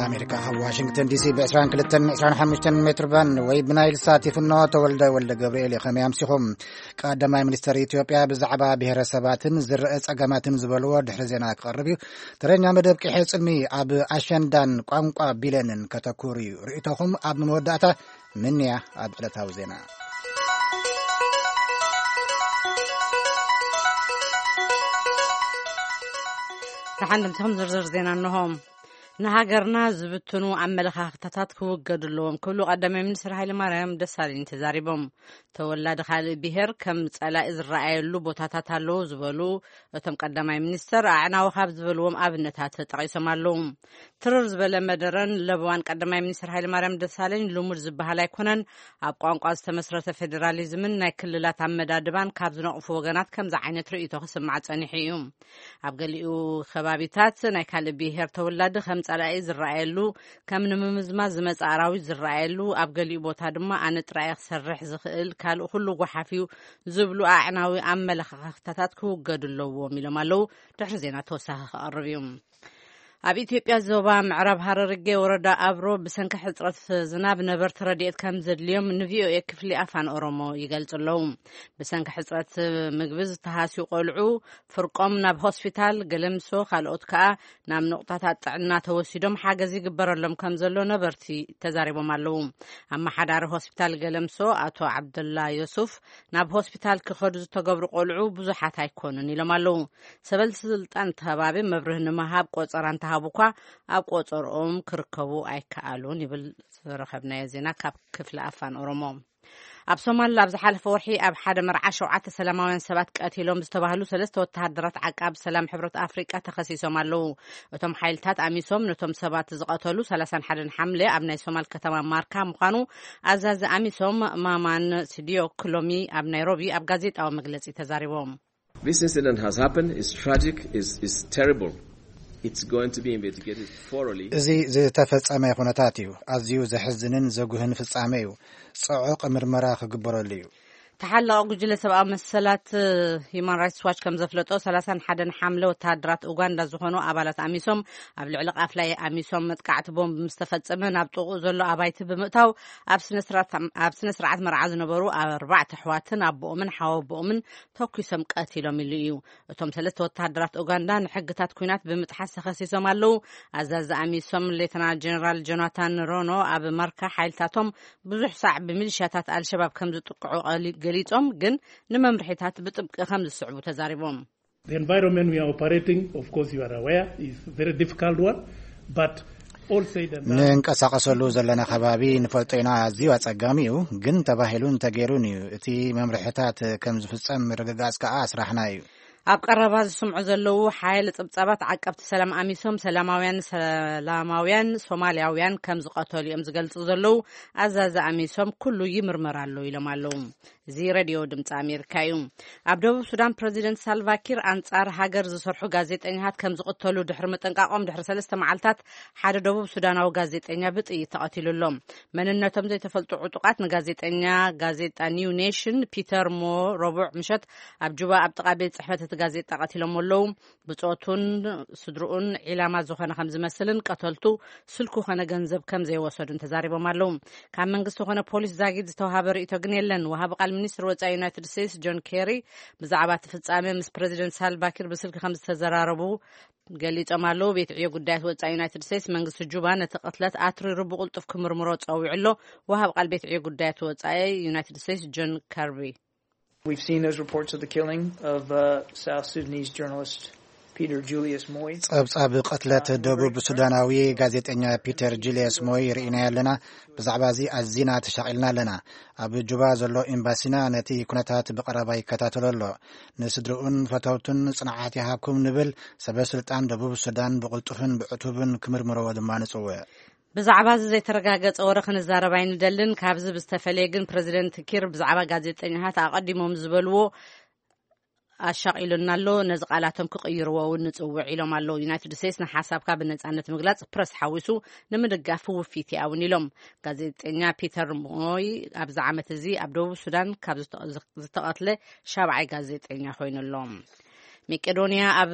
ኣሜሪካ ካብ ዋሽንግተን ዲሲ ብ22 25 ሜትር ባንድ ወይ ብናይል ሳት ይፍኖ። ተወልደ ወልደ ገብርኤል እዩ። ከመይ ኣምሲኹም? ቀዳማይ ሚኒስተር ኢትዮጵያ ብዛዕባ ብሄረሰባትን ዝረአ ጸገማትን ዝበልዎ ድሕሪ ዜና ክቐርብ እዩ። ተረኛ መደብ ቂሐ ጽልሚ ኣብ ኣሸንዳን ቋንቋ ቢለንን ከተኩር እዩ። ርእይቶኹም ኣብ መወዳእታ ምንያ ኣብ ዕለታዊ ዜና። ደሓን ድምፅኹም ዝርዝር ዜና እንሆ። ንሃገርና ዝብትኑ ኣመለኻኽታታት ክውገዱ ኣለዎም ክብሉ ቀዳማይ ሚኒስትር ሃይለማርያም ደሳለኝ ተዛሪቦም። ተወላዲ ካልእ ብሄር ከም ጸላኢ ዝረኣየሉ ቦታታት ኣለዉ ዝበሉ እቶም ቀዳማይ ሚኒስትር፣ ኣዕናዊ ካብ ዝበልዎም ኣብነታት ተጠቒሶም ኣለዉ። ትርር ዝበለ መደረን ለበዋን ቀዳማይ ሚኒስትር ሃይለማርያም ደሳለኝ ልሙድ ዝበሃል ኣይኮነን። ኣብ ቋንቋ ዝተመስረተ ፌዴራሊዝምን ናይ ክልላት ኣመዳድባን ካብ ዝነቕፉ ወገናት ከምዚ ዓይነት ርእይቶ ክስማዕ ጸኒሑ እዩ። ኣብ ገሊኡ ከባቢታት ናይ ካልእ ብሄር ተወላዲ ከም ጸላኢ ዝረኣየሉ፣ ከም ንምምዝማዝ ዝመጽእ ኣራዊት ዝረኣየሉ፣ ኣብ ገሊኡ ቦታ ድማ ኣነ ጥራይ ክሰርሕ ዝኽእል፣ ካልእ ኩሉ ጓሓፍ እዩ ዝብሉ ኣዕናዊ ኣመለኻኽታታት ክውገዱ ኣለዎም ኢሎም ኣለዉ። ድሕሪ ዜና ተወሳኺ ክቐርብ እዩ። ኣብ ኢትዮጵያ ዞባ ምዕራብ ሃረርጌ ወረዳ ኣብሮ ብሰንኪ ሕጽረት ዝናብ ነበርቲ ረድኤት ከም ዘድልዮም ንቪኦኤ ክፍሊ ኣፋን ኦሮሞ ይገልጹ ኣለዉ። ብሰንኪ ሕጽረት ምግቢ ዝተሃስዩ ቆልዑ ፍርቆም ናብ ሆስፒታል ገለምሶ፣ ካልኦት ከኣ ናብ ንቑጣታት ጥዕና ተወሲዶም ሓገዝ ይግበረሎም ከም ዘሎ ነበርቲ ተዛሪቦም ኣለዉ። ኣመሓዳሪ ሆስፒታል ገለምሶ ኣቶ ዓብደላ ዮሱፍ፣ ናብ ሆስፒታል ክኸዱ ዝተገብሩ ቆልዑ ብዙሓት ኣይኮኑን ኢሎም ኣለዉ። ሰበል ስልጣን እቲ ከባቢ መብርህ ንምሃብ ቆጸራ እንተሃቡ እኳ ኣብ ቆጸርኦም ክርከቡ ኣይከኣሉን ይብል ዝረኸብናዮ ዜና ካብ ክፍሊ ኣፋን ኦሮሞ። ኣብ ሶማል ኣብ ዝሓለፈ ወርሒ ኣብ ሓደ መርዓ ሸውዓተ ሰላማውያን ሰባት ቀቲሎም ዝተባህሉ ሰለስተ ወተሃደራት ዓቃብ ሰላም ሕብረት ኣፍሪቃ ተኸሲሶም ኣለዉ። እቶም ሓይልታት ኣሚሶም ነቶም ሰባት ዝቐተሉ ሰላሳን ሓደን ሓምለ ኣብ ናይ ሶማል ከተማ ማርካ ምዃኑ ኣዛዚ ኣሚሶም ማማን ሲዲዮ ክሎሚ ኣብ ናይሮቢ ኣብ ጋዜጣዊ መግለጺ ተዛሪቦም። This incident has happened. It's tragic. It's, it's terrible. It's going to be investigated thoroughly. እዚ ዝተፈጸመ ኩነታት እዩ። ኣዝዩ ዘሕዝንን ዘጉህን ፍጻሜ እዩ። ጽዑቕ ምርመራ ክግበረሉ እዩ። ተሓላቒ ጉጅለ ሰብኣዊ መሰላት ሂማን ራይትስ ዋች ከም ዘፍለጦ፣ ሰላሳን ሓደን ሓምለ ወተሃደራት ኡጋንዳ ዝኾኑ ኣባላት ኣሚሶም ኣብ ልዕሊ ቃፍላይ ኣሚሶም መጥቃዕቲ ቦምብ ምስ ተፈጸመ ናብ ጥቕኡ ዘሎ ኣባይቲ ብምእታው ኣብ ስነ ስርዓት፣ ኣብ ስነ ስርዓት መርዓ ዝነበሩ ኣርባዕተ ኣሕዋትን ኣቦኦምን ሓወቦኦምን ተኩሶም ቀቲሎም ኢሉ እዩ። እቶም ሰለስተ ወተሃደራት ኡጋንዳ ንሕግታት ኲናት ብምጥሓስ ተኸሲሶም ኣለዉ። ኣዛዚ ኣሚሶም ሌተናል ጀነራል ጆናታን ሮኖ ኣብ ማርካ ሓይልታቶም ብዙሕ ሳዕ ብሚሊሻታት ኣልሸባብ ከም ዝጥቅዑ ቀሊ-፣ ገሊጾም፣ ግን ንመምርሒታት ብጥብቂ ከም ዝስዕቡ ተዛሪቦም። The environment we are operating, of course, you are aware, is very difficult one, but all said and done, ንንቀሳቐሰሉ ዘለና ከባቢ ንፈልጦ ኢና፣ ኣዝዩ ኣጸጋሚ እዩ፣ ግን ተባሂሉን ተገይሩን እዩ። እቲ መምርሒታት ከም ዝፍጸም ምርግጋጽ ከኣ ስራሕና እዩ። ኣብ ቀረባ ዝስምዑ ዘለዉ ሓያለ ጸብጻባት ዓቀብቲ ሰላም ኣሚሶም ሰላማውያን፣ ሰላማውያን ሶማልያውያን ከም ዝቐተሉ እዮም ዝገልጹ ዘለዉ። ኣዛዚ ኣሚሶም ኩሉ ይምርመር ኣሎ ኢሎም ኣለዉ። እዚ ሬድዮ ድምፂ ኣሜሪካ እዩ። ኣብ ደቡብ ሱዳን ፕረዚደንት ሳልቫኪር ኣንጻር ሃገር ዝሰርሑ ጋዜጠኛታት ከም ዝቕተሉ ድሕሪ ምጥንቃቖም ድሕሪ ሰለስተ መዓልታት ሓደ ደቡብ ሱዳናዊ ጋዜጠኛ ብጥይት ተቐቲሉ ኣሎ። መንነቶም ዘይተፈልጡ ዕጡቓት ንጋዜጠኛ ጋዜጣ ኒው ኔሽን ፒተር ሞ ረቡዕ ምሸት ኣብ ጁባ ኣብ ጥቓ ቤት ጽሕፈት እቲ ጋዜጣ ቀቲሎም ኣለዉ። ብጾቱን ስድርኡን ዒላማ ዝኾነ ከም ዝመስልን ቀተልቱ ስልኩ ኾነ ገንዘብ ከም ዘይወሰዱን ተዛሪቦም ኣለዉ። ካብ መንግስቲ ኾነ ፖሊስ ዛጊድ ዝተዋሃበ ርእይቶ ግን የለን። ወሃቢ ቃል ሚኒስትር ወጻኢ ዩናይትድ ስቴትስ ጆን ኬሪ ብዛዕባ እቲ ፍጻሜ ምስ ፕረዚደንት ሳልቫኪር ብስልኪ ከም ዝተዘራረቡ ገሊጾም ኣለዉ። ቤት ዕዮ ጉዳያት ወጻኢ ዩናይትድ ስቴትስ መንግስቲ ጁባ ነቲ ቅትለት ኣትሪሩ ብቕልጡፍ ክምርምሮ ጸዊዑ ኣሎ። ወሃቢ ቃል ቤት ዕዮ ጉዳያት ወጻኢ ዩናይትድ ስቴትስ ጆን ከርቢ። We've seen those reports of the killing of uh, South Sudanese journalist Peter Julius Moy. ጸብጻብ ቅትለት ደቡብ ሱዳናዊ ጋዜጠኛ ፒተር ጁልየስ ሞይ ርኢና ኣለና። ብዛዕባ እዚ ኣዚና ተሻቒልና ኣለና። ኣብ ጁባ ዘሎ ኤምባሲና ነቲ ኩነታት ብቐረባ ይከታተሎ ኣሎ። ንስድርኡን ፈተውቱን ጽንዓት ይሃብኩም ንብል። ሰበ ስልጣን ደቡብ ሱዳን ብቕልጡፍን ብዕቱብን ክምርምርዎ ድማ ንጽውዕ። ብዛዕባ እዚ ዘይተረጋገጸ ወረ ክንዛረብ ኣይንደልን። ካብዚ ብዝተፈለየ ግን ፕረዚደንት ኪር ብዛዕባ ጋዜጠኛታት ኣቐዲሞም ዝበልዎ ኣሻቒሉና ኣሎ። ነዚ ቃላቶም ክቕይርዎ እውን ንጽውዕ ኢሎም ኣለዉ። ዩናይትድ ስቴትስ ንሓሳብካ ብነጻነት ምግላጽ ፕረስ ሓዊሱ ንምድጋፍ ውፊት እያ እውን ኢሎም። ጋዜጠኛ ፒተር ሞይ ኣብዚ ዓመት እዚ ኣብ ደቡብ ሱዳን ካብ ዝተ-፣ ዝተቐትለ ሻብዓይ ጋዜጠኛ ኮይኑ ኣሎ። መቄዶንያ ኣብ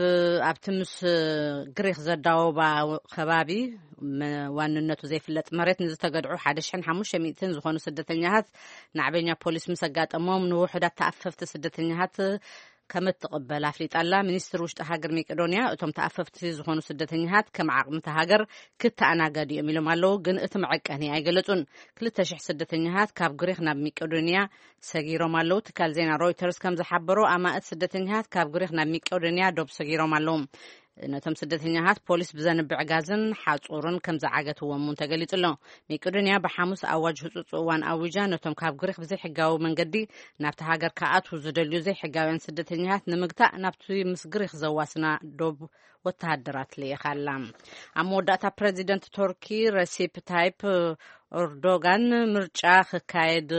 ኣብቲ ምስ ግሪኽ ዘዳወባ ከባቢ መ- ዋንነቱ ዘይፍለጥ መሬት ንዝተገድዑ ሓደ ሽሕን ሓሙሽተ ሚእትን ዝኾኑ ስደተኛታት ናዕበኛ ፖሊስ ምስ ኣጋጠሞም ንውሑዳት ተኣፈፍቲ ስደተኛታት ከም እትቕበል ኣፍሊጣ ኣላ። ሚኒስትር ውሽጢ ሃገር መቄዶንያ እቶም ተኣፈፍቲ ዝኾኑ ስደተኛታት ከም ዓቕሚ እታ ሃገር ክተኣናገዱ እዮም ኢሎም ኣለዉ፣ ግን እቲ መዐቀኒ ኣይገለጹን። ክልተ ሽሕ ስደተኛታት ካብ ግሪኽ ናብ መቄዶንያ ሰጊሮም ኣለዉ። ትካል ዜና ሮይተርስ ከም ዝሓበሮ ኣማእት ስደተኛታት ካብ ግሪኽ ናብ መቄዶንያ ዶብ ሰጊሮም ኣለዉ። ነቶም ስደተኛታት ፖሊስ ብዘንብዕ ጋዝን ሓጹርን ከም ዝዓገትዎም እውን ተገሊጹ ኣሎ። መቄዶንያ ብሓሙስ ኣዋጅ ህጹጽ እዋን ኣዊጃ ነቶም ካብ ግሪኽ ብዘይሕጋዊ መንገዲ ናብቲ ሃገር ክኣትዉ ዝደልዩ ዘይሕጋውያን ስደተኛታት ንምግታእ ናብቲ ምስ ግሪኽ ዘዋስና ዶብ ወተሃደራት ልኢኻ ኣላ። ኣብ መወዳእታ ፕረዚደንት ቱርኪ ረሲፕ ታይፕ ኤርዶጋን ምርጫ ክካየድ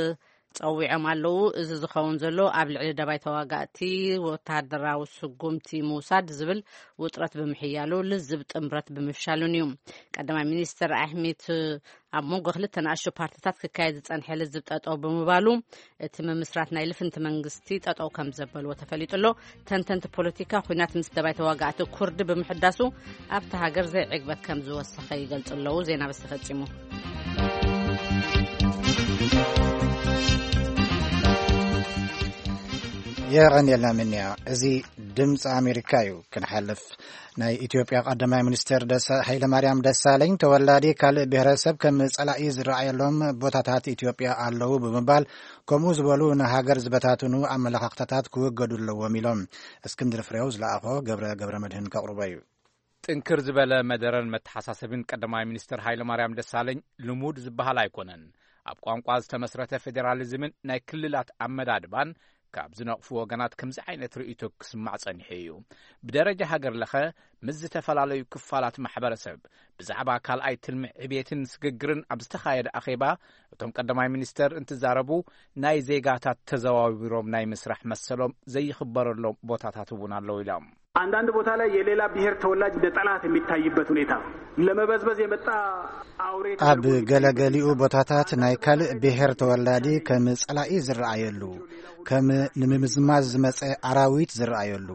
ጸዊዖም ኣለዉ። እዚ ዝኸውን ዘሎ ኣብ ልዕሊ ደባይ ተዋጋእቲ ወተሃደራዊ ስጉምቲ ምውሳድ ዝብል ውጥረት ብምሕያሉ፣ ልዝብ ጥምረት ብምፍሻሉን እዩ። ቀዳማይ ሚኒስትር ኣሕሜት ኣብ መንጎ ክልተ ንኣሽቱ ፓርቲታት ክካየድ ዝጸንሐ ልዝብ ጠጠው ብምባሉ፣ እቲ ምምስራት ናይ ልፍንቲ መንግስቲ ጠጠው ከም ዘበልዎ ተፈሊጡ ኣሎ። ተንተንቲ ፖለቲካ፣ ኲናት ምስ ደባይ ተዋጋእቲ ኩርድ ብምሕዳሱ ኣብቲ ሃገር ዘይዕግበት ከም ዝወሰኸ ይገልጹ ኣለዉ። ዜና በዚ ተፈጺሙ። የቐንየልና ምንያ። እዚ ድምፂ ኣሜሪካ እዩ። ክንሓልፍ፣ ናይ ኢትዮጵያ ቀዳማይ ሚኒስትር ደሳ- ሃይለማርያም ደሳለኝ ተወላዲ ካልእ ብሔረሰብ ከም ጸላኢ ዝረኣየሎም ቦታታት ኢትዮጵያ ኣለዉ ብምባል፣ ከምኡ ዝበሉ ንሃገር ዝበታትኑ ኣመለኻኽታታት ክወገዱ ኣለዎም ኢሎም። እስክንድር ፍሬው ዝለኣኾ ገብረ ገብረ መድህን ከቕርቦ እዩ። ጥንክር ዝበለ መደረን መተሓሳሰብን ቀዳማይ ሚኒስትር ሃይለማርያም ደሳለኝ ልሙድ ዝበሃል ኣይኮነን። ኣብ ቋንቋ ዝተመስረተ ፌዴራሊዝምን ናይ ክልላት ኣመዳድባን ካብ ዝነቕፉ ወገናት ከምዚ ዓይነት ርእይቶ ክስማዕ ጸኒሑ እዩ። ብደረጃ ሃገር ለኸ ምስ ዝተፈላለዩ ክፋላት ማሕበረሰብ ብዛዕባ ካልኣይ ትልሚ ዕብየትን ስግግርን ኣብ ዝተኻየደ ኣኼባ እቶም ቀዳማይ ሚኒስተር እንትዛረቡ ናይ ዜጋታት ተዘዋዊሮም ናይ ምስራሕ መሰሎም ዘይኽበረሎም ቦታታት እውን ኣለዉ ኢሎም። አንዳንድ ቦታ ላይ የሌላ ብሔር ተወላጅ እንደ ጠላት የሚታይበት ሁኔታ፣ ለመበዝበዝ የመጣ አውሬ ኣብ ተደርጎ ገለገሊኡ ቦታታት ናይ ካልእ ብሔር ተወላዲ ከም ጸላኢ ዝረኣየሉ፣ ከም ንምምዝማዝ ዝመጸ ኣራዊት ዝረኣየሉ፣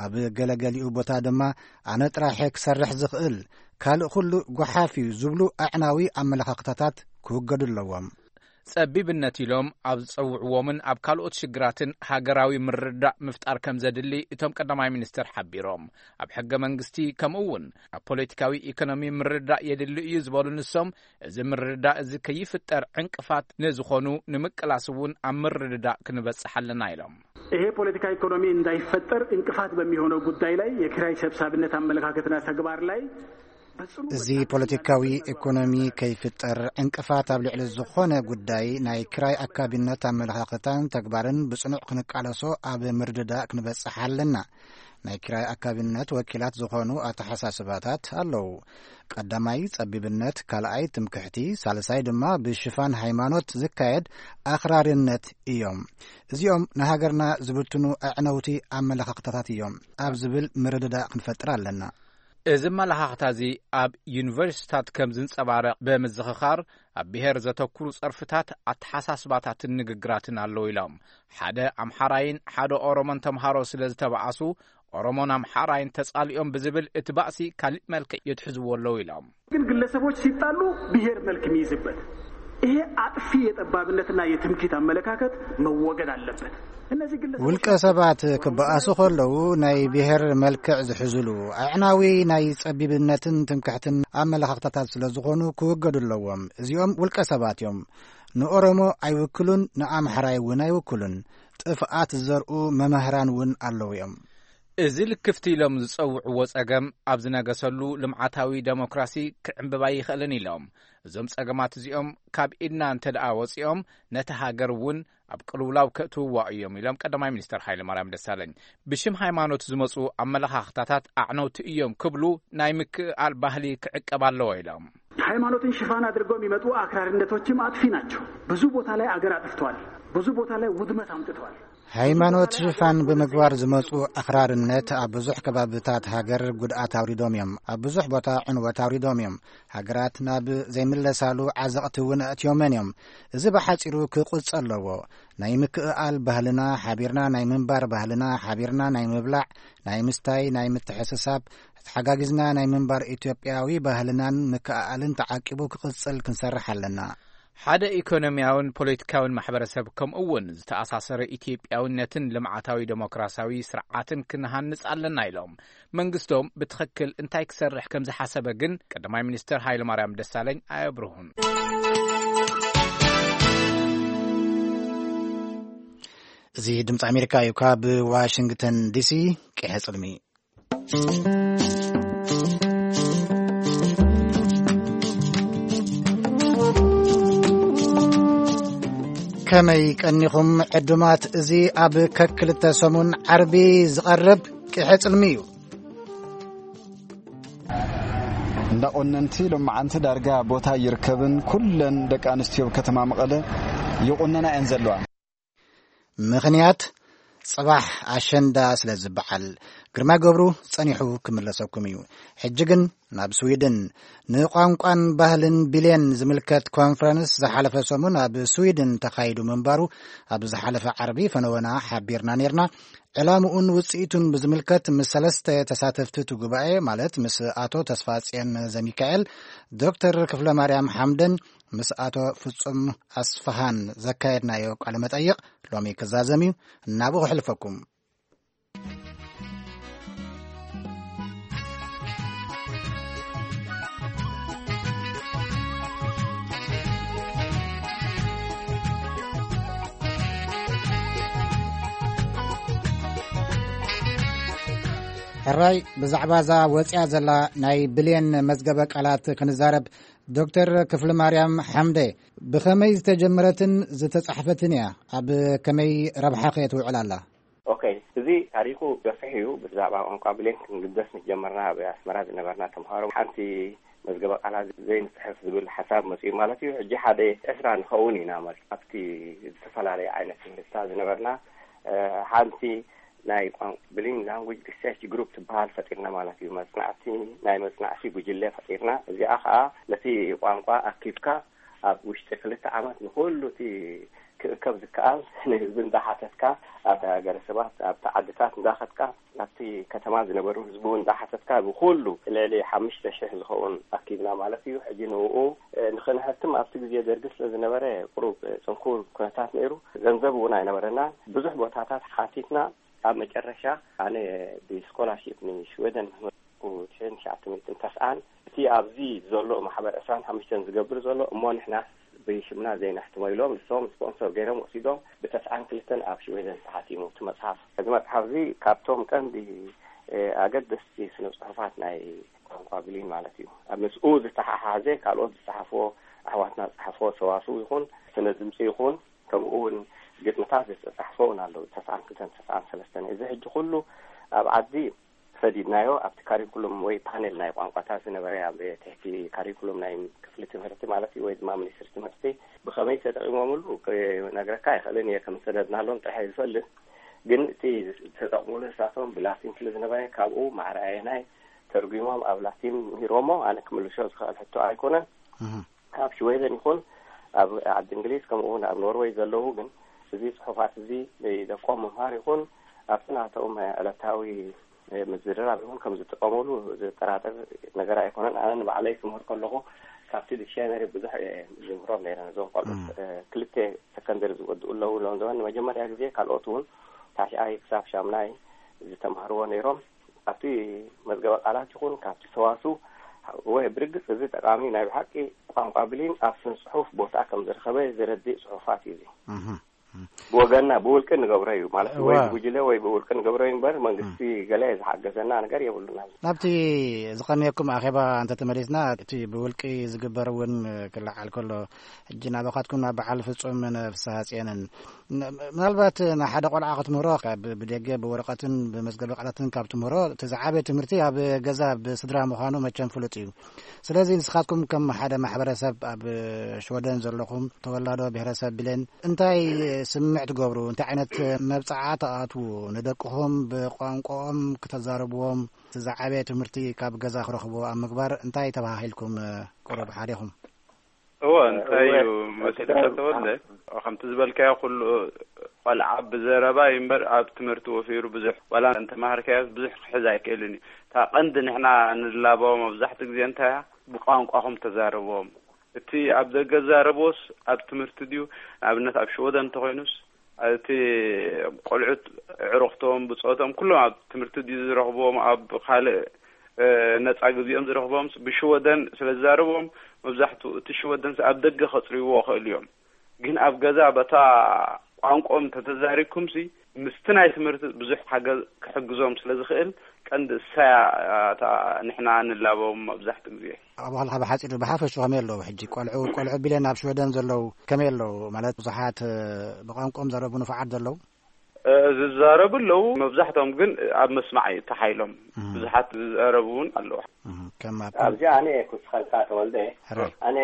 ኣብ ገለገሊኡ ቦታ ድማ ኣነ ጥራሐ ክሰርሕ ዝኽእል፣ ካልእ ኩሉ ጓሓፍ እዩ ዝብሉ ኣዕናዊ ኣመለኻኽታታት ክውገዱ ኣለዎም። ጸቢብነት ኢሎም ኣብ ዝጸውዕዎምን ኣብ ካልኦት ሽግራትን ሃገራዊ ምርድዳእ ምፍጣር ከም ዘድሊ እቶም ቀዳማይ ሚኒስትር ሓቢሮም። ኣብ ሕገ መንግስቲ ከምኡ እውን ኣብ ፖለቲካዊ ኢኮኖሚ ምርድዳእ የድሊ እዩ ዝበሉ ንሶም፣ እዚ ምርድዳእ እዚ ከይፍጠር ዕንቅፋት ንዝኾኑ ንምቅላስ እውን ኣብ ምርድዳእ ክንበጽሕ ኣለና ኢሎም። ይሄ ፖለቲካ ኢኮኖሚ እንዳይፈጠር እንቅፋት በሚሆነው ጉዳይ ላይ የኪራይ ሰብሳቢነት አመለካከትና ተግባር ላይ በጽኑ እዚ ፖለቲካዊ ኢኮኖሚ ከይፍጠር ዕንቅፋት ኣብ ልዕሊ ዝኾነ ጉዳይ ናይ ክራይ ኣካቢነት ኣመለኻኽታን ተግባርን ብጽኑዕ ክንቃለሶ ኣብ ምርድዳእ ክንበጽሕ ኣለና። ናይ ክራይ ኣካቢነት ወኪላት ዝኾኑ ኣተሓሳስባታት ኣለዉ። ቀዳማይ ጸቢብነት፣ ካልኣይ ትምክሕቲ፣ ሳልሳይ ድማ ብሽፋን ሃይማኖት ዝካየድ ኣኽራርነት እዮም። እዚኦም ንሃገርና ዝብትኑ ኣዕነውቲ ኣመለኻኽታታት እዮም ኣብ ዝብል ምርድዳእ ክንፈጥር ኣለና። እዚ ኣመለኻኽታ እዚ ኣብ ዩኒቨርሲታት ከም ዝንጸባረቕ ብምዝኽኻር፣ ኣብ ብሔር ዘተኩሩ ጸርፍታት፣ ኣተሓሳስባታትን ንግግራትን ኣለዉ ኢሎም። ሓደ ኣምሓራይን ሓደ ኦሮሞን ተምሃሮ ስለ ዝተባኣሱ፣ ኦሮሞን ኣምሓራይን ተጻሊኦም ብዝብል እቲ ባእሲ ካሊእ መልክዕ የትሕዝዎ ኣለዉ ኢሎም። ግን ግለሰቦች ሲጣሉ ብሔር መልክ የሚይዝበት ይሄ አጥፊ የጠባብነትና የትምክህት አመለካከት መወገድ አለበት። እነዚህ ግለሰቦች ውልቀ ሰባት ክበኣሱ ከለዉ ናይ ብሔር መልክዕ ዝሕዝሉ ኣዕናዊ ናይ ጸቢብነትን ትምክሕትን ኣመለኻኽታታት ስለ ዝኾኑ ክወገዱ ኣለዎም። እዚኦም ውልቀ ሰባት እዮም። ንኦሮሞ ኣይውክሉን፣ ንኣምሓራይ እውን ኣይውክሉን። ጥፍኣት ዝዘርኡ መምህራን እውን ኣለዉ እዮም። እዚ ልክፍቲ ኢሎም ዝጸውዕዎ ጸገም ኣብ ዝነገሰሉ ልምዓታዊ ደሞክራሲ ክዕምብብ ኣይኽእልን ኢሎም። እዞም ጸገማት እዚኦም ካብ ኢድና እንተ ደኣ ወጺኦም ነቲ ሃገር እውን ኣብ ቅልውላው ከእትውዋ እዮም ኢሎም ቀዳማይ ሚኒስተር ሃይለማርያም ደሳለኝ። ብሽም ሃይማኖት ዝመጹ ኣመለኻኽታታት ኣዕነውቲ እዮም ክብሉ ናይ ምክእኣል ባህሊ ክዕቀብ ኣለዎ ኢሎም። ሃይማኖትን ሽፋን አድርገው የሚመጡ አክራሪነቶችም አጥፊ ናቸው። ብዙ ቦታ ላይ አገር አጥፍተዋል። ብዙ ቦታ ላይ ውድመት አምጥተዋል። ሃይማኖት ሽፋን ብምግባር ዝመጹ ኣኽራርነት ኣብ ብዙሕ ከባብታት ሃገር ጉድኣት ኣውሪዶም እዮም። ኣብ ብዙሕ ቦታ ዕንወት ኣውሪዶም እዮም። ሃገራት ናብ ዘይምለሳሉ ዓዘቕቲ እውን ኣእትዮመን እዮም። እዚ ብሓጺሩ ክቕጸል ኣለዎ። ናይ ምክእኣል ባህልና ሓቢርና፣ ናይ ምንባር ባህልና ሓቢርና፣ ናይ ምብላዕ፣ ናይ ምስታይ፣ ናይ ምትሕስሳብ፣ ተሓጋጊዝና ናይ ምንባር ኢትዮጵያዊ ባህልናን ምክእኣልን ተዓቂቡ ክቕጽል ክንሰርሕ ኣለና። ሓደ ኢኮኖሚያውን ፖለቲካውን ማሕበረሰብ፣ ከምኡ እውን ዝተኣሳሰረ ኢትዮጵያውነትን ልምዓታዊ ዴሞክራሲያዊ ስርዓትን ክንሃንጽ ኣለና ኢሎም። መንግስቶም ብትኽክል እንታይ ክሰርሕ ከም ዝሓሰበ ግን ቀዳማይ ሚኒስትር ሃይለማርያም ደሳለኝ ኣየብርሁን። እዚ ድምፂ ኣሜሪካ እዩ። ካብ ዋሽንግተን ዲሲ፣ ቅሐ ጽልሚ። ከመይ ቀኒኹም ዕዱማት? እዚ ኣብ ከክልተ ሰሙን ዓርቢ ዝቐርብ ቅሐ ጽልሚ እዩ። እንዳ ቆነንቲ ሎማዓንቲ ዳርጋ ቦታ ይርከብን፣ ኩለን ደቂ ኣንስትዮ ከተማ መቐለ ይቑነና እየን ዘለዋ። ምኽንያት፣ ጽባሕ ኣሸንዳ ስለ ዝበዓል። ግርማ ገብሩ ጸኒሑ ክምለሰኩም እዩ። ሕጂ ግን ናብ ስዊድን፣ ንቋንቋን ባህልን ቢልየን ዝምልከት ኮንፈረንስ ዝሓለፈ ሰሙን ኣብ ስዊድን ተኻይዱ ምንባሩ ኣብ ዝሓለፈ ዓርቢ ፈነወና ሓቢርና ኔርና። ዕላምኡን ውጽኢቱን ብዝምልከት ምስ ሰለስተ ተሳተፍቲ እቲ ጉባኤ፣ ማለት ምስ ኣቶ ተስፋጽዮን ዘሚካኤል፣ ዶክተር ክፍለ ማርያም ሓምደን ምስ ኣቶ ፍጹም ኣስፍሃን ዘካየድናዮ ቃለ መጠይቕ ሎሚ ክዛዘም እዩ። እናብኡ ክሕልፈኩም። ሕራይ፣ ብዛዕባ እዛ ወፂኣ ዘላ ናይ ብሌን መዝገበ ቃላት ክንዛረብ። ዶክተር ክፍለ ማርያም ሓምደ፣ ብኸመይ ዝተጀመረትን ዝተጻሕፈትን እያ? ኣብ ከመይ ረብሓ ከ ትውዕል ኣላ? ኦኬ፣ እዚ ታሪኹ ገፊሕ እዩ። ብዛዕባ ቋንቋ ብሌን ክንግደስ ምስ ጀመርና፣ ኣብ ኣስመራ ዝነበርና ተምሃሮ ሓንቲ መዝገበ ቃላት ዘይንጽሕፍ ዝብል ሓሳብ መጺኡ ማለት እዩ። ሕጂ ሓደ ዕስራ ንኸውን ኢና ማለት ኣብቲ ዝተፈላለየ ዓይነት ትምህርትታት ዝነበርና፣ እ፣ ሓንቲ ናይ ቋን-፣ ብሊንግ ላንጉጅ ሪሰርች ግሩፕ ትበሃል ፈጢርና ማለት እዩ። መጽናዕቲ፣ ናይ መጽናዕቲ ጉጅለ ፈጢርና። እዚኣ ኸኣ ነቲ ቋንቋ ኣኪብካ ኣብ ውሽጢ ክልተ ዓመት ንኹሉ እቲ ክእከብ ዝከኣል ንህዝቢ እንዳሓተትካ፣ ኣብ ሃገረ ሰባት፣ ኣብቲ ዓድታት እንዳኸድካ፣ ኣብቲ ከተማ ዝነበሩ ህዝቢ እውን እንዳሓተትካ፣ ብኹሉ ልዕሊ ሓሙሽተ ሽሕ ዝኸውን ኣኪብና ማለት እዩ። ሕጂ ንእኡ፣ እ፣ ንኽንሕትም ኣብቲ ግዜ ደርጊ ስለ ዝነበረ ቁሩብ፣ እ፣ ጽንኩር ኩነታት ነይሩ። ገንዘብ እውን ኣይነበረናን። ብዙሕ ቦታታት ሓቲትና። ኣብ መጨረሻ ኣነ ብስኮላርሺፕ ንሽወደን ምስ መጽኩ ትሽዓን ትሽዓተ ሚእትን ተስዓን፣ እቲ ኣብዚ ዘሎ ማሕበር ዕስራን ሓሙሽተን ዝገብር ዘሎ፣ እሞ ንሕናስ ብሽምና ዘይነሕትሞ ኢሎም፣ ንሶም ስፖንሰር ገይሮም ወሲዶም፣ ብተስዓን ክልተን ኣብ ሽወደን ተሓቲሙ እቲ መጽሓፍ። እዚ መጽሓፍ እዚ ካብቶም ቀንዲ፣ እ፣ ኣገደስቲ ስነ ጽሑፋት ናይ ቋንቋ ብሊን ማለት እዩ። ኣብ ምስኡ ዝተሓሓዘ ካልኦት ዝጸሓፍዎ፣ ኣሕዋትና ዝጸሓፍዎ ሰዋስው ይኹን፣ ስነ ድምጺ ይኹን፣ ከምኡ እውን ግጥምታት ዝተጻሕፈ እውን ኣለዉ። ተስዓን ክልተን ተስዓን ሰለስተን። እዚ ሕጂ ኩሉ ኣብ ዓዲ ሰዲድናዮ፣ ኣብቲ ካሪኩሉም ወይ ፓኔል ናይ ቋንቋታት ዝነበረ ኣብ ትሕቲ ካሪኩሉም ናይ ክፍሊ ትምህርቲ ማለት እዩ፣ ወይ ድማ ሚኒስትሪ ትምህርቲ ብኸመይ ተጠቒሞምሉ ክነግረካ ኣይኽእልን እየ፣ ከም ዝሰደድናሎም ጥራሕ እየ ዝፈልጥ። ግን እቲ ዝተጠቕሙሉ ንሳቶም ብላቲን ስለ ዝነበረ፣ ካብኡ ማዕረ ኣየናይ ተርጒሞም ኣብ ላቲን ምሂሮሞ፣ ኣነ ክምልሾ ዝኽእል ሕቶ ኣይኮነን። እህ። ኣብ ሽወደን ይኹን ኣብ ዓዲ እንግሊዝ፣ ከምኡ እውን ኣብ ኖርወይ ዘለዉ ግን፣ እዚ ጽሑፋት እዚ ንደቆም ምምሃር ይኹን ኣብቲ ናቶም ዕለታዊ ምዝርራብ ይኹን ከም ዝጥቀሙሉ ዝጠራጠር ነገር ኣይኮነን። ኣነ ንባዕለይ ክምህር ከለኹ ካብቲ ዲክሽነሪ ብዙሕ እየ ዝምህሮም ነይረ። ነዞም ቆልዑት፣ እም። እ፣ ክልተ ሰከንደሪ ዝወድኡ ኣለዉ፣ ሎም ዘበን ንመጀመርያ ግዜ፣ ካልኦት እውን ታሽኣይ ክሳብ ሻምናይ ዝተማህርዎ ነይሮም። ኣብቲ መዝገበ ቃላት ይኹን ካብቲ ሰዋስው ወይ ብርግጽ እዚ ጠቓሚ ናይ ብሓቂ ቋንቋ ብሊን ኣብ ስነ ጽሑፍ ቦታ ከም ዝረኸበ ዘረድእ ጽሑፋት እዩ እዚ። እህ። ብወገንና ብውልቂ ንገብሮ እዩ ማለት፣ ወይ እዋ። ብጉጅለ ወይ ብውልቂ ንገብሮ እዩ እምበር፣ መንግስቲ እም። ገለ ዝሓገዘና ነገር የብሉና። ናብቲ ዝቐነየኩም ኣኼባ እንተተመሊስና፣ እቲ ብውልቂ ዝግበር እውን ክለዓል ከሎ፣ ሕጂ ናባኻትኩም ናብ በዓል ፍጹም ፍስሃ ጽዮንን፣ ን-፣ ምናልባት ንሓደ ቆልዓ ክትምህሮ፣ ካብ ብደገ ብወረቐትን ብመዝገበ ቃላትን ካብ ትምህሮ፣ እቲ ዝዓበየ ትምህርቲ ኣብ ገዛ ብስድራ ምዃኑ መቸም ፍሉጥ እዩ። ስለዚ ንስኻትኩም ከም ሓደ ማሕበረሰብ ኣብ ሽወደን ዘለኹም ተወላዶ ብሄረሰብ ብሌን እንታይ ስም ስምዕ ትገብሩ? እንታይ ዓይነት መብጽዓ ትኣትዉ? ንደቅኹም ብቋንቋኦም ክተዛረብዎም፣ ዝዓበየ ትምህርቲ ካብ ገዛ ክረኽብዎ ኣብ ምግባር እንታይ ተባሂልኩም ቁሩብ ሓዲኹም? እወ፣ እንታይ እዩ እወ፣ መሲልካ ተወልደ? ከምቲ ዝበልካዮ ኩሉ ቆልዓ ብዘረባ እዩ እምበር ኣብ ትምህርቲ ወፊሩ ብዙሕ፣ ዋላ እንተመሃርካዮ ብዙሕ ክሕዝ ኣይክእልን እዩ። እታ ቀንዲ ንሕና ንላበዎ መብዛሕትኡ ግዜ እንታይ እያ? ብቋንቋኹም ተዛረብዎም። እቲ ኣብ ደገ ዝዛረብዎስ ኣብ ትምህርቲ ድዩ? ንኣብነት ኣብ ሽወደን እንተኾይኑስ እቲ ቆልዑት ኣዕሩኽቶም፣ ብጾቶም ኩሎም ኣብ ትምህርቲ ድዩ ዝረኽብዎም? ኣብ ካልእ፣ እ፣ ነጻ ግዜኦም ዝረኽብዎም ብሽወደን ስለ ዝዛረብዎም መብዛሕትኡ እቲ ሽወደን ኣብ ደገ ከጽርይዎ ይኽእሉ እዮም። ግን ኣብ ገዛ በታ ቋንቋኦም ተተዛሪብኩምሲ ምስቲ ናይ ትምህርቲ ብዙሕ ሓገዝ ክሕግዞም ስለ ዝኽእል ቀንዲ እሳያ እታ ንሕና ንላበዎም መብዛሕትኡ ግዜ። ኣብ ኻልኻ ብሓጺሩ ብሓፈሹ ከመይ ኣለዉ? ሕጂ ቆልዑ፣ ቆልዑ ቢለን ኣብ ሽወደን ዘለዉ ከመይ ኣለዉ? ማለት ብዙሓት፣ እ፣ ብቋንቋኦም ዘረቡ ንፉዓት ዘለዉ? እ፣ ዝዛረቡ ኣለዉ። መብዛሕትኦም ግን ኣብ መስማዕ እዩ ተሓይሎም። እህ። ብዙሓት ዝዛረቡ እውን ኣለዉ። እህ፣ ከም ኣብ ኣብዚ ኣነ ክውስኸልካ ተወልደ፣ ሕራይ። ኣነ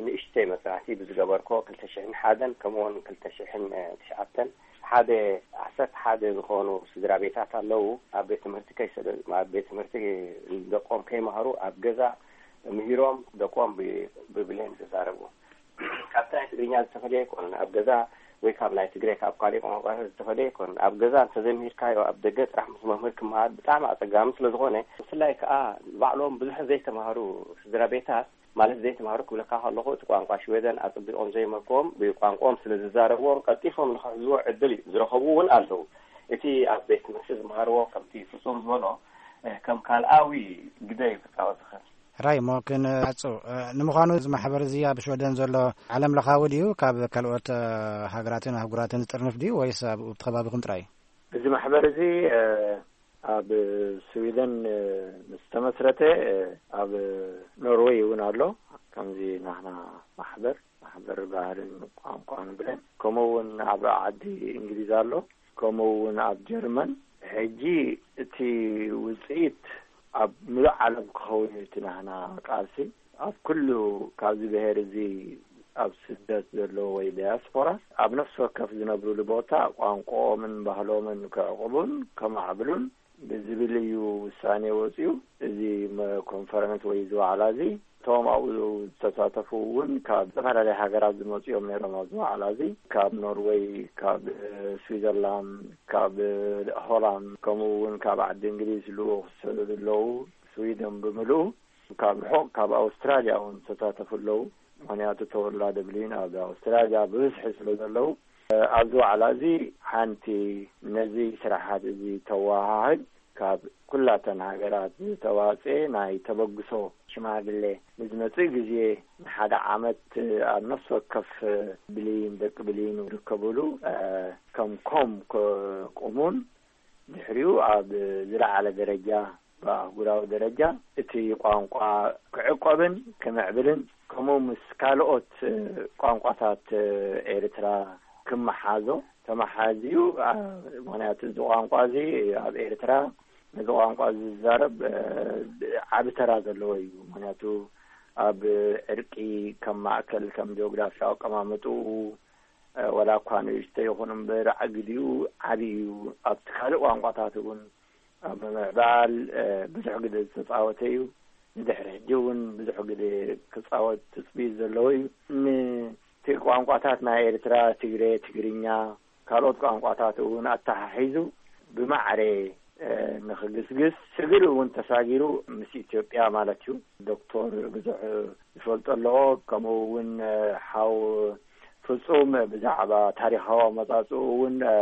ንእሽተይ መጽናዕቲ ብዝገበርኮ ክልተ ሽሕን ሓደን ከምኡውን ክልተ ሽሕን ትሽዓተን ሓደ ዓሰርተ ሓደ ዝኾኑ ስድራ ቤታት ኣለዉ። ኣብ ቤት ትምህርቲ ከይሰደ-፣ ኣብ ቤት ትምህርቲ ደቆም ከይመሃሩ ኣብ ገዛ ምሂሮም ደቆም ብ-፣ ብብሌን ዝዛረቡ። ካብቲ ናይ ትግርኛ ዝተፈለየ ኣይኮነን። ኣብ ገዛ ወይ ካብ ናይ ትግረ ካብ ካልእ ቋንቋታት ዝተፈለየ ኣይኮነን። ኣብ ገዛ እንተዘይምሂርካዮ ኣብ ደገ ጥራሕ ምስ መምህር ክመሃር ብጣዕሚ ኣጸጋሚ ስለ ዝኾነ፣ ብፍላይ ከኣ ባዕሎም ብዙሕ ዘይተማህሩ ስድራ ቤታት፣ ማለት ዘይተማህሩ ክብለካ ከለኹ እቲ ቋንቋ ሽወደን ኣጸቢቖም ዘይመልክዎም ብቋንቋኦም ስለ ዝዛረብዎም ቀልጢፎም ንኽሕዝዎ ዕድል እዩ ዝረኸቡ እውን ኣለዉ። እቲ ኣብ ቤት ትምህርቲ ዝመሃርዎ ከምቲ ፍጹም ዝበሎ፣ እ፣ ከም ካልኣዊ ግደ እዩ ክጻወት ዝኽእል። ራይ እሞ ክንዓጹ፣ እ፣ ንምዃኑ እዚ ማሕበር እዚ ኣብ ሽወደን ዘሎ ዓለም ለኻዊ ድዩ? ካብ ካልኦት፣ እ፣ ሃገራትን ኣህጉራትን ዝጥርንፍ ድዩ ወይስ ኣብ፣ ኣብቲ ከባቢኹም ጥራይ? እዚ ማሕበር እዚ፣ እ፣ ኣብ ስዊደን፣ እ፣ ምስ ተመስረተ፣ እ፣ ኣብ ኖርወይ እውን ኣሎ። ከምዚ ናህና ማሕበር፣ ማሕበር ባህልን ቋንቋን ብለን፣ ከምኡ እውን ኣብ ዓዲ እንግሊዝ ኣሎ፣ ከምኡ እውን ኣብ ጀርመን። ሕጂ እቲ ውጽኢት ኣብ ምሉእ ዓለም ክኸውን እዩ እቲ ናህና ቃልሲ። ኣብ ኩሉ ካብዚ ብሄር እዚ ኣብ ስደት ዘለዉ ወይ ዳያስፖራ ኣብ ነፍሲ ወከፍ ዝነብሩሉ ቦታ ቋንቋኦምን ባህሎምን ክዕቕቡን ከማዕብሉን ብዝብል እዩ ውሳኔ ወጺኡ። እዚ መ-፣ ኮንፈረንስ ወይ እዚ ዋዕላ እዚ እቶም ኣብኡ ዝተሳተፉ እውን ካብ ዝተፈላለያ ሃገራት ዝመጹ እዮም ነይሮም። ኣብዚ ዋዕላ እዚ ካብ ኖርወይ፣ ካብ፣ እ፣ ስዊዘርላንድ፣ ካብ፣ እ፣ ሆላንድ፣ ከምኡ እውን ካብ ዓዲ እንግሊዝ ልኡኽ ዝሰደዱ ኣለዉ። ስዊደን ብምልኡ ካብ ርሑቕ ካብ ኣውስትራልያ እውን ዝተሳተፉ ኣለዉ። ምኽንያቱ ተወላዲ ብሊን ኣብ ኣውስትራልያ ብብዝሒ ስለ ዘለዉ፣ እ፣ ኣብዚ ዋዕላ እዚ ሓንቲ ነዚ ስራሓት እዚ ተወሃህድ ካብ ኩላተን ሃገራት ዝተዋጽኤ ናይ ተበግሶ ሽማግሌ ንዝመጽእ ግዜ ንሓደ ዓመት ኣብ ነፍሲ ወከፍ ብሊን ደቂ ብሊን ዝርከብሉ፣ እ፣ ከም ኮም ከቁሙን ድሕሪኡ ኣብ ዝለዓለ ደረጃ ብኣህጉራዊ ደረጃ እቲ ቋንቋ ክዕቆብን ክምዕብልን ከምኡ ምስ ካልኦት ቋንቋታት ኤርትራ ክመሓዞ ተመሓዝዩ። ኣ-፣ ምኽንያቱ እዚ ቋንቋ እዚ ኣብ ኤርትራ ነዚ ቋንቋ እዚ ዝዛረብ፣ እ፣ ዓቢ ተራ ዘለዎ እዩ። ምኽንያቱ ኣብ ዕርቂ ከም ማእከል፣ ከም ጂኦግራፊያዊ ኣቀማምጥኡ፣ እ፣ ወላ እኳ ንእሽቶ ይኹን እምበር ኣግዲኡ ዓቢ እዩ። ኣብቲ ካልእ ቋንቋታት እውን ኣብ ምምዕባል፣ እ፣ ብዙሕ ግደ ዝተጻወተ እዩ። ንድሕሪ ሕጂ እውን ብዙሕ ግደ ክጻወት ትጽቢት ዘለዎ እዩ። ን-፣ እቲ ቋንቋታት ናይ ኤርትራ፣ ትግረ፣ ትግርኛ፣ ካልኦት ቋንቋታት እውን ኣተሓሒዙ ብማዕረ፣ እ፣ ንኽግስግስ፣ ስግር እውን ተሳጊሩ ምስ ኢትዮጵያ ማለት እዩ። ዶክተር ብዙሕ ዝፈልጦ ኣለዎ። ከምኡ እውን፣ እ፣ ሓው ፍጹም ብዛዕባ ታሪኻዊ ኣመጻጽኡ እውን፣ እ፣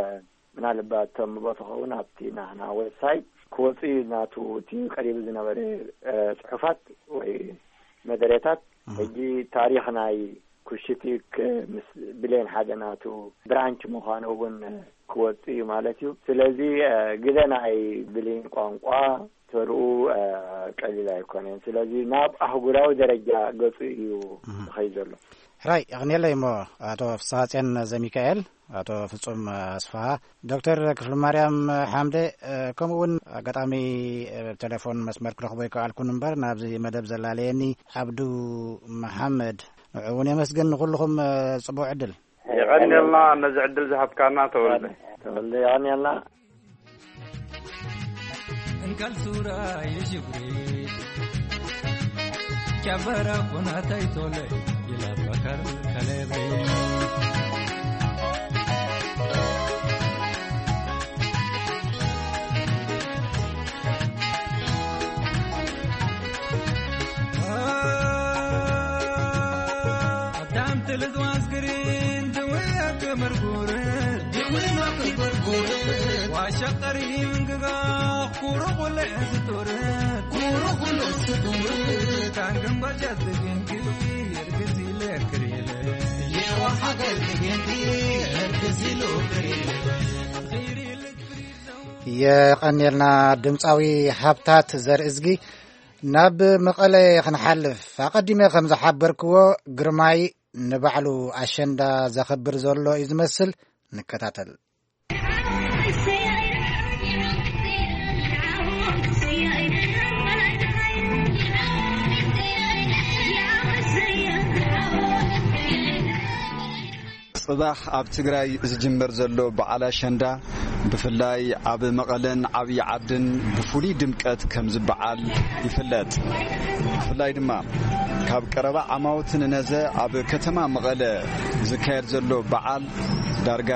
ምናልባት ተንብቦ ትኸውን ኣብቲ ናህና ዌብሳይት ክወጽእ እዩ ናቱ እቲ ቀሪቡ ዝነበረ፣ እ፣ ጽሑፋት ወይ መደረታት። እህ። ሕጂ ታሪኽ ናይ ኩሽቲክ ምስ ብሌን ሓደ ናቱ ብራንች ምዃኑ እውን ክወጽእ እዩ ማለት እዩ። ስለዚ፣ እ፣ ግደ ናይ ብሌን ቋንቋ ተርኡ፣ እ፣ ቀሊል ኣይኮነን። ስለዚ ናብ ኣህጉራዊ ደረጃ ገጹ እዩ እህ። ዝኸይድ ዘሎ። ሕራይ፣ የቕንየለይ እሞ ኣቶ ፍስሃጽዮን ዘሚካኤል፣ ኣቶ ፍጹም ኣስፍሃ፣ ዶክተር ክፍለማርያም ሓምደ፣ እ፣ ከምኡ እውን ኣጋጣሚ፣ እ፣ ቴሌፎን መስመር ክረኽቦ ይከኣልኩን እምበር ናብዚ መደብ ዘላለየኒ ዓብዱ መሓመድ፣ ንዑ እውን የመስግን። ንኹልኹም፣ እ፣ ጽቡቕ ዕድል። ሕራይ፣ የቐንየልና ነዚ ዕድል ዝሃብካና ተወልደ። ተወልደ፣ የቐንየልና። እንካል ሱራ ይሽብሪ ጨበራ ኩናታይ ቶለ ይለፈከር ከለብሪ። ኣዳም ትልዝ ዋዝግሪን ድውያ ክምርጉር ድውያ ክምርጉር ዋሸቀሪ ምንግጋ ኩሩ ኩለ ስጡር ኩሩ ኩለ ስጡር ካንግን በጨት ግንግ የርግዚ ለክሪለ የዋ ሀገር ግንግ የርግዚ ለክሪለ የቐንየልና ድምፃዊ ሃብታት ዘርእዝጊ። ናብ መቐለ ክንሓልፍ፣ ኣቐዲመ ከም ዝሓበርክዎ፣ ግርማይ ንባዕሉ ኣሸንዳ ዘኸብር ዘሎ እዩ ዝመስል። ንከታተል። ጽባሕ ኣብ ትግራይ ዝጅመር ዘሎ በዓል ኣሸንዳ፣ ብፍላይ ኣብ መቐለን ዓብዪ ዓድን ብፍሉይ ድምቀት ከም ዝበዓል ይፍለጥ። ብፍላይ ድማ ካብ ቀረባ ዓማውቲ ንነዘ ኣብ ከተማ መቐለ ዝካየድ ዘሎ በዓል ዳርጋ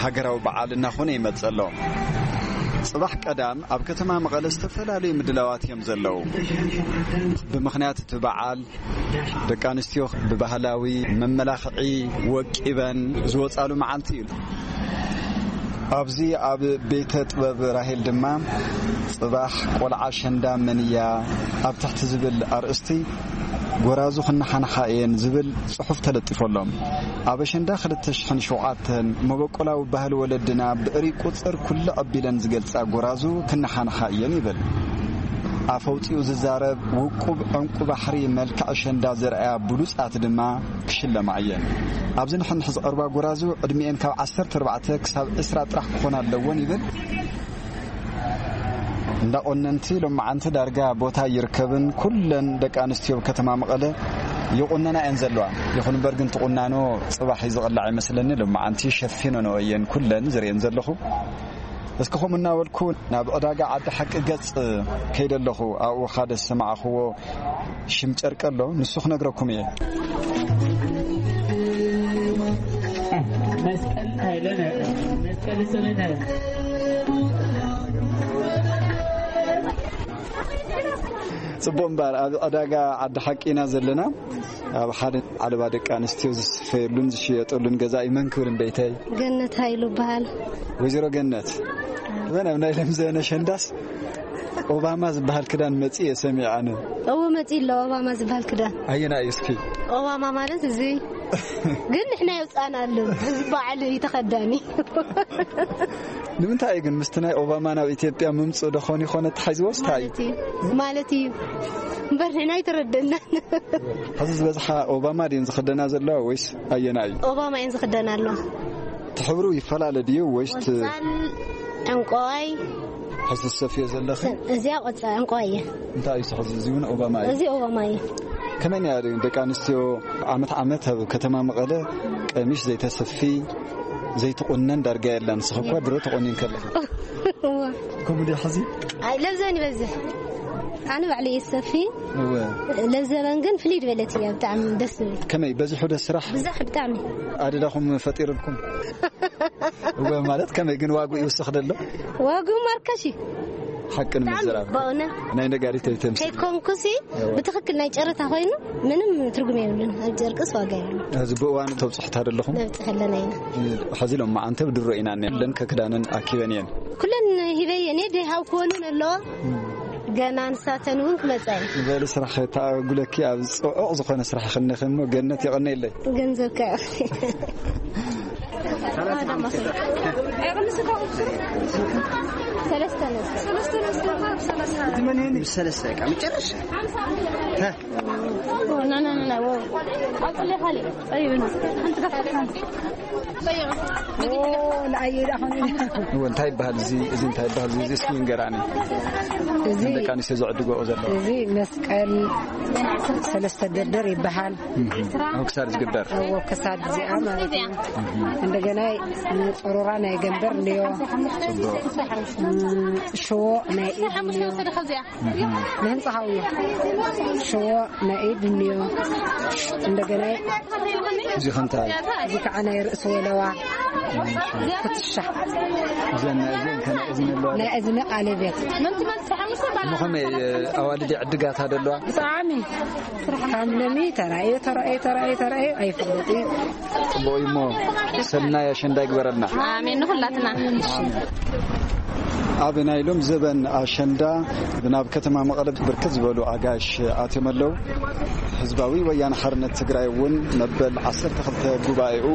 ሃገራዊ በዓል እናኾነ ይመጽእ ኣሎ። ጽባሕ ቀዳም ኣብ ከተማ መቐለ ዝተፈላለዩ ምድላዋት እዮም ዘለዉ። ብምኽንያት እቲ በዓል ደቂ ኣንስትዮ ብባህላዊ መመላኽዒ ወቂበን ዝወጻሉ መዓልቲ እዩ። ኣብዚ ኣብ ቤተ ጥበብ ራሄል ድማ ጽባሕ ቆልዓ ኣሸንዳ መንያ ኣብ ትሕቲ ዝብል ኣርእስቲ ጎራዙ ክነሓንሓ እየን ዝብል ጽሑፍ ተለጢፎሎም። ኣብ ኣሸንዳ ክልተ ሽሕን ሸውዓተን መበቆላዊ ባህሊ ወለድና ብእሪ ቁጽር ኩሉ ኣቢለን ዝገልጻ ጎራዙ ክነሓንሓ እየን ይብል። ኣፍ ኣውጺኡ ዝዛረብ ውቁብ ዕንቁ ባሕሪ መልክዕ ኣሸንዳ ዘርኣያ ብሉጻት ድማ ክሽለማ እየን። ኣብዚ ንሕንሕ ዝቐርባ ጎራዙ ዕድሚኤን ካብ ዓሰርተ ኣርባዕተ ክሳብ ዕስራ ጥራሕ ክኾና ኣለወን ይብል። እንዳ ቆነንቲ ሎማዓንቲ ዳርጋ ቦታ ይርከብን ኩለን ደቂ ኣንስትዮ ከተማ መቐለ ይቑነና እየን ዘለዋ። ይኹን እምበር ግን ትቑናኖ ጽባሕ እዩ ዝቕላዕ ይመስለኒ። ሎማዓንቲ ሸፊነንኦ እየን ኩለን ዝርእየን ዘለኹ። እስኪ ከምኡ እናበልኩ ናብ ዕዳጋ ዓዲ ሓቂ ገጽ ከይደ ኣለኹ። ኣብኡ ሓደ ዝሰማዕኽዎ ሽም ጨርቂ ኣሎ፣ ንሱ ክነግረኩም እየ። መስቀል ሃይለነ፣ መስቀል ስምነ። ጽቡቕ እምበኣር፣ ኣብ ዕዳጋ ዓዲ ሓቂ ኢና ዘለና። ኣብ ሓደ ዓለባ ደቂ ኣንስትዮ ዝስፈየሉን ዝሽየጠሉን ገዛኢ መን ክብል እምበይተይ? ገነት ሃይሉ እበሃል። ወይዘሮ ገነት፣ መን ኣብ ናይ ለምዘነ ሸንዳስ ኦባማ ዝበሃል ክዳን መጺኡ እየ ሰሚዐ ኣነ። እዎ፣ መጺኡ ኣሎ ኦባማ ዝበሃል ክዳን። ኣየና እዩ እስኪ? ኦባማ ማለት እዚ ግን ንሕና የውጻእና ኣሎ። እዚ በዓል እዩ ተኸዳኒ። ንምንታይ እዩ ግን ምስቲ ናይ ኦባማ ናብ ኢትዮጵያ ምምጽኡ ዶ ኾን ይኾን ተታሒዝዎ ስታይ? ማለት እዩ። ማለት እዩ። እምበር ንሕና ኣይተረደናን። ሕዚ ዝበዝሓ ኦባማ ድየን ዝኽደና ዘለዋ ወይስ ኣየና እዩ? ኦባማ እየን ዝኽደና ኣለዋ። እቲ ሕብሩ ይፈላለ ድዩ ወይስ እቲ ቆጻል፣ ዕንቋይ። ሕዚ ዝሰፍዮ ዘለኺ? እዚኣ ቆጻል ዕንቋይ እያ። እንታይ እዩ እዚ ሕዚ? እዚ እውን ኦባማ እዩ። እዚ ኦባማ እዩ። ከመይ ነይራ ደቂ ኣንስትዮ ዓመት ዓመት ኣብ ከተማ መቐለ ቀሚሽ ዘይተሰፊ ዘይትቑነን ዳርጋ የላን። ንስኺ እኳ ድሮ ተቖኒን ከለኺ። እዋ። ከምኡ ድዩ ሕዚ? ኣይ፣ ለብዘን ይበዝሕ። ኣነ ባዕለይ እየ ዝሰፊ። እወ። ለብዘበን ግን ፍልይ ዝበለት እያ፣ ብጣዕሚ ደስ ዝብል። ከመይ በዚሑ ዶ ስራሕ? ብዛሕ ብጣዕሚ። ኣደዳኹም ፈጢርልኩም? እወ፣ ማለት ከመይ ግን ዋግኡ ይውስኽ ደሎ? ዋግኡ ማርከሽ እዩ። ሓቂ ብጣዕሚ ንምዝራብ። በእውነት። ናይ ነጋሪት ኣይተምስል። ከይኮንኩሲ እወ። ብትኽክል ናይ ጨረታ ኮይኑ ምንም ትርጉም የብሉን። ኣብ ጨርቅስ ዋጋ የብሉን። ሕዚ ብእዋኑ ተብጽሑ ኣለኹም? ነብጽሕ ኣለና ኢና። ሕዚ ሎማዓንቲ ብድሮ ኢና እኒአለን ከክዳነን ኣኪበን እየን። ኩለን ሂበ እየን፣ ደይ ሃው ክወንን ኣለዋ። ገና ንሳተን እውን ክመጻ እየን። በሉ ስራሕ ተኣጉለኪ ኣብ ጽዑቕ ዝኾነ ስራሕ ይኽነኺ እሞ ገነት የቐነየለይ። ገንዘብካ ይኣኽል። ሰለስተ ነጥቢ። ሰለስተ ነጥቢ። ሰለስተ ነጥቢ። ሰለስተ ደቂቃ መጨረሻ። ና፣ ና፣ ና፣ ና፣ ዋው። ኣውፅለይ ካሊእ። ጠይብና። ሓንቲ ከፍታ። ጠይብ። እወ፣ እንታይ ይበሃል እዚ? እዚ እንታይ ይበሃል እዚ? እዚ እስኪ ንገራኒ። እዚ ደቂ ኣንስትዮ ዝዕድገኦ ዘለዋ። እዚ መስቀል ሰለስተ ደርደር ይበሃል። ኣብ ክሳድ ዝግበር። እዎ፣ ክሳድ እዚኣ ማለት እዩ። እንደገና ጸሮራ ናይ ገንበር እንድዮ። ጽቡቕ። ሽዎ ናይ ኢድ እንድዮ። ንህንጻ ሃውዮ። ሽዎ ናይ ኢድ እንድዮ። እንደገና እዚ ከንታ እዚ ከዓ ናይ ርእሲ ወለዋ። ፍትሻ። እዘን እዘን ከና እዝን ኣለዋ። ናይ እዝኒ ቃለቤት። ንኸመይ ኣዋልድ ዕድጋታ ደለዋ? ብጣዕሚ ካብ ለሚ ተራእዮ ተራእዮ ተራእዮ ተራእዮ ኣይፈልጥ እዩ። ጽቡቕ እዩ እሞ ሰናይ ኣሸንዳ ይግበረልና። ኣሜን ንኹላትና። ኣብ ናይ ሎም ዘበን ኣሸንዳ ብናብ ከተማ መቐለ ብርክት ዝበሉ ኣጋሽ ኣትዮም ኣለዉ። ህዝባዊ ወያነ ሓርነት ትግራይ እውን መበል ዓሰርተ ክልተ ጉባኤኡ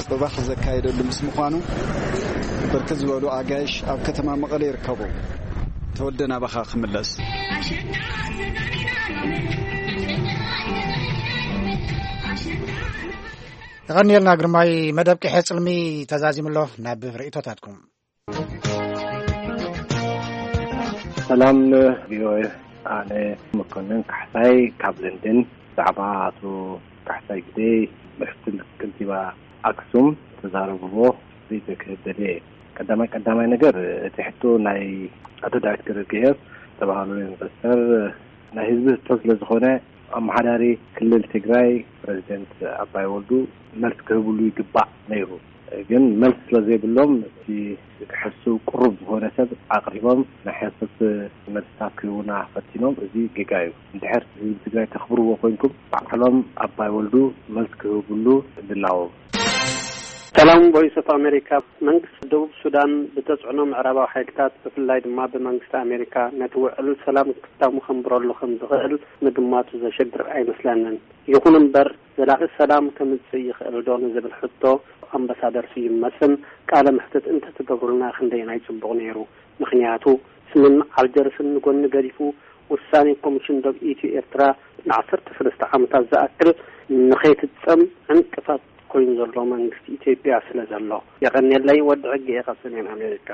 ጽባሕ ዘካየደሉ ምስ ምዃኑ ብርክት ዝበሉ ኣጋይሽ ኣብ ከተማ መቐለ ይርከቡ። ተወልደ ናባኻ ክምለስ። የቐንየልና ግርማይ፣ መደብ ቅሐ ጽልሚ ተዛዚሙ ኣሎ። ናብ ርእይቶታትኩም። ሰላም ቪኦኤ፣ ኣነ መኮንን ካሕሳይ ካብ ለንደን። ብዛዕባ ኣቶ ካሕሳይ ግደይ ምክትል ከንቲባ ኣክሱም ተዛረብዎ ርእይቶ ክህብ ደልየ። ቀዳማይ ቀዳማይ ነገር እቲ ሕቶ ናይ ኣቶ ዳዊት ገብረእግዚኣብሔር ዝተባህሉ ኢንቨስተር ናይ ህዝቢ ሕቶ ስለ ዝኾነ ኣመሓዳሪ ክልል ትግራይ ፕሬዚደንት ኣባይ ወልዱ መልስ ክህብሉ ይግባእ ነይሩ። ግን መልስ ስለ ዘይብሎም እቲ ክሕሱ ቅሩብ ዝኾነ ሰብ ኣቕሪቦም ናይ ሓሶት መልስታት ክህቡና ፈቲኖም። እዚ ጌጋ እዩ። እንድሕር ህዝቢ ትግራይ ተኽብርዎ ኮይንኩም ባዕሎም ኣባይ ወልዱ መልስ ክህብሉ ድላዎም። ሰላም ቮይስ ኦፍ ኣሜሪካ። መንግስቲ ደቡብ ሱዳን ብተጽዕኖ ምዕራባዊ ሓይልታት ብፍላይ ድማ ብመንግስቲ ኣሜሪካ ነቲ ውዕል ሰላም ክታሙ ከንብረሉ ከም ዝኽእል ምግማቱ ዘሸግር ኣይመስለንን። ይኹን እምበር ዘላቒ ሰላም ከምጽእ ይኽእል ዶ ንዝብል ሕቶ ኣምባሳደር ስዩም መስፍን ቃለ መሕትት እንተትገብሩልና ክንደየናይ ጽቡቕ ነይሩ። ምኽንያቱ ስምምዕ ኣልጀርስን ንጎኒ ገዲፉ ውሳኔ ኮሚሽን ዶብ ኢትዮ ኤርትራ ንዓሰርተ ሰለስተ ዓመታት ዝኣክል ንኸይፍጸም ዕንቅፋት ኮይኑ ዘሎ መንግስቲ ኢትዮጵያ ስለ ዘሎ። የቐንየለይ ወዲ ዕጌ ካብ ሰሜን ኣሜሪካ።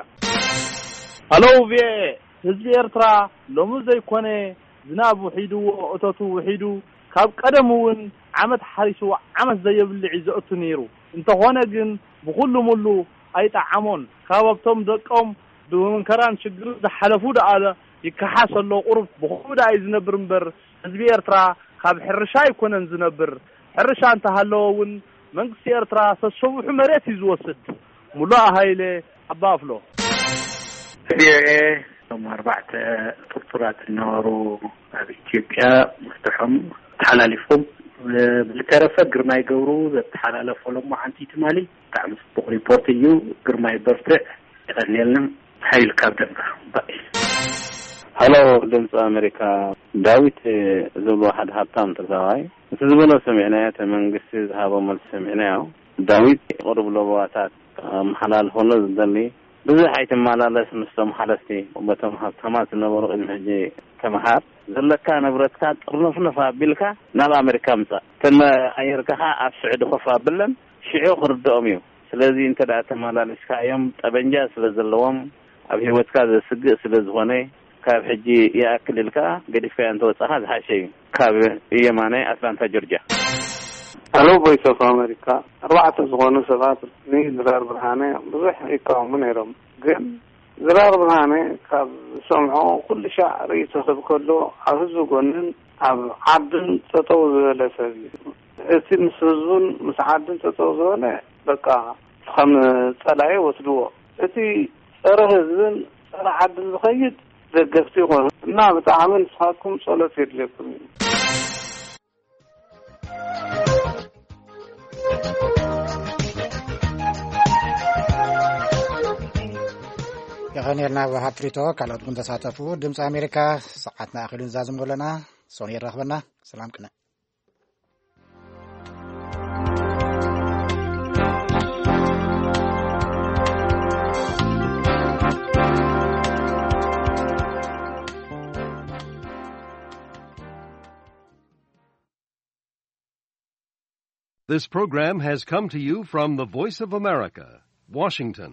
ሃሎ ቪኦኤ፣ ህዝቢ ኤርትራ ሎሚ ዘይኮነ ዝናብ ውሒድዎ እቶቱ ውሒዱ ካብ ቀደም እውን ዓመት ሓሪሱ ዓመት ዘየብልዕ እዩ ዘእቱ ነይሩ። እንተኾነ ግን ብኹሉ ሙሉ ኣይጠዓሞን። ካብ ኣብቶም ደቆም ብመንከራን ሽግርን ዝሓለፉ ደኣ ይከሓስ ኣሎ። ቁሩብ ብኹኡ ደኣ እዩ ዝነብር እምበር ህዝቢ ኤርትራ ካብ ሕርሻ ኣይኮነን ዝነብር። ሕርሻ እንተሃለወ እውን መንግስቲ ኤርትራ ሰሰቡሑ መሬት እዩ ዝወስድ። ሙሉእ ሃይለ ኣባ ኣፍሎ። ቪኦኤ፣ እቶም ኣርባዕተ ጥርጡራት ዝነበሩ ኣብ ኢትዮጵያ መፍትሖም ተሓላሊፎም። ብዝተረፈ ግርማይ ገብሩ ዘተሓላለፎ ሎማዓንቲ ትማሊ ብጣዕሚ ጽቡቕ ሪፖርት እዩ። ግርማይ በርትዕ። የቐንየልና። ሓይል ካብ ደንባ ባይ። ሃሎ ድምፂ ኣሜሪካ፣ ዳዊት ዝብሎ ሓደ ሃብታም ትግራዋይ እቲ ዝበሎ ሰሚዕናዮ፣ እቲ መንግስቲ ዝሃቦ መልሲ ሰሚዕናዮ። ዳዊት ቅሩብ ለበዋታት ኣመሓላልፈሉ ዝደሊ፣ ብዙሕ ኣይትመላለስ ምስቶም ሓለፍቲ፣ በቶም ሃብታማት ዝነበሩ ቅድሚ ሕጂ ተምሃር። ዘለካ ንብረትካ ጥርንፍንፍ ኣቢልካ ናብ ኣሜሪካ ምጻእ። እተን ኣየርካ ኸዓ ኣብ ስዑዲ ኮፍ ኣብለን፣ ሽዑ ክርድኦም እዩ። ስለዚ እንተ ደኣ ተመላሊስካዮም፣ ጠበንጃ ስለ ዘለዎም፣ ኣብ ህይወትካ ዘስግእ ስለ ዝኾነ፣ ካብ ሕጂ ይኣክል ኢልካ ገዲፍካዮ እንተወጻኻ ዝሓሸ እዩ። ካብ የማነ ኣትላንታ ጆርጅያ። ሃሎ ቮይስ ኦፍ ኣሜሪካ፣ ኣርባዕተ ዝኾኑ ሰባት ንድራር ብርሃነ ብዙሕ ይቃወሙ ነይሮም። ግን ድራር ብርሃነ ካብ ዝሰምዖ ኩሉ ሻዕ ርእይቶ ክህብ ከሎ ኣብ ህዝቢ ጎንን ኣብ ዓድን ጠጠው ዝበለ ሰብ እዩ። እቲ ምስ ህዝቡን ምስ ዓድን ጠጠው ዝበለ በቃ ከም ጸላኢ ወስድዎ። እቲ ጸረ ህዝብን ጸረ ዓድን ዝኸይድ ደገፍቲ ይኾኑ እና ብጣዕሚ ንስኻትኩም ጸሎት የድልየኩም እዩ። የቐንየልና ወሃብ ትሪቶ፣ ካልኦት እውን ተሳተፉ። ድምፂ ኣሜሪካ ሰዓትና ኣኺሉ ንዛዝም ኣለና። ሶኒ የራኽበና። ሰላም ቅነ። This program has come to you from the Voice of America, Washington.